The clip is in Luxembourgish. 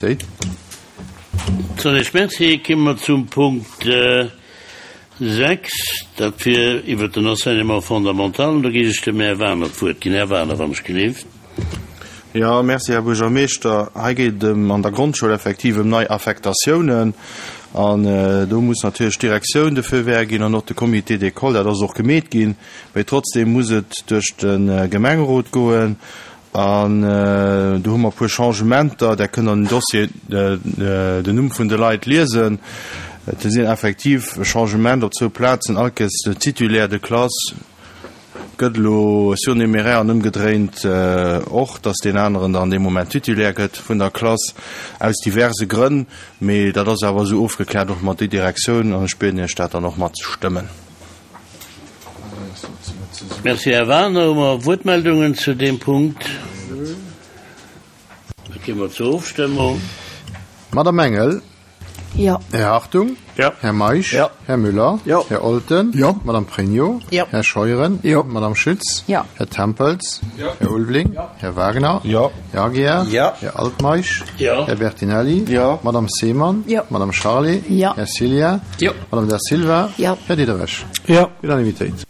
Déi. Soll Merci. Komme mer zum Punkt 6, dat wier iwwert den Enseignement fondamental. An do géif ech dem Här Wagener d'Wuert ginn. Här Wagener, wann ech gelift. Jo, merci, Här Buergermeeschter. Hei geet et ëm an der Grondschoul effektiv ëm nei Affektatiounen. An do muss natierlech d'Direktioun de Feu vert ginn an och de Comité d'école. Dat ass och gemeet ginn. Mee trotzdem muss et duerch de Gemengerot goen. An do hu mer e puer Changementer. Der kënnt an dem Dossier den Numm vun de Leit liesen. Et sinn effektiv Changement op zwou Plazen. All Kéiers de Titulaire de classe gëtt elo surnuméraire an ëmgedréint och, dass deen aneren dann dee Moment Titulaire gëtt vun der Klass, aus diverse Grënn. Mee dat ass awer esou ofgekläert och mat der Direktioun an ech bieden Iech dat dann och matzestëmmen. Merci, Här Wagener. Hu mer Wuertmeldungen zu deem Punkt? Da gi mer zur Ofstëmmung. Madame Engel. Jo. Här Hartung. Jo. Här Meisch. Jo. Här Müller. Jo. Här Olten. Jo. Madame Pregno. Jo. Här Scheuren. Jo. Madame Schütz. Jo. Här Tempels. Jo. Här Ulveling. Jo. Här Wagner. Jo. Här Aguiar. Jo. Här Altmeisch. Jo. Här Bertinelli. Jo. Madame Seemann. Jo. Madame Charlé. Jo. Här Cillien. Jo. Madame Da Silva. Jo. Här Diderich. Jo. Unanimitéit.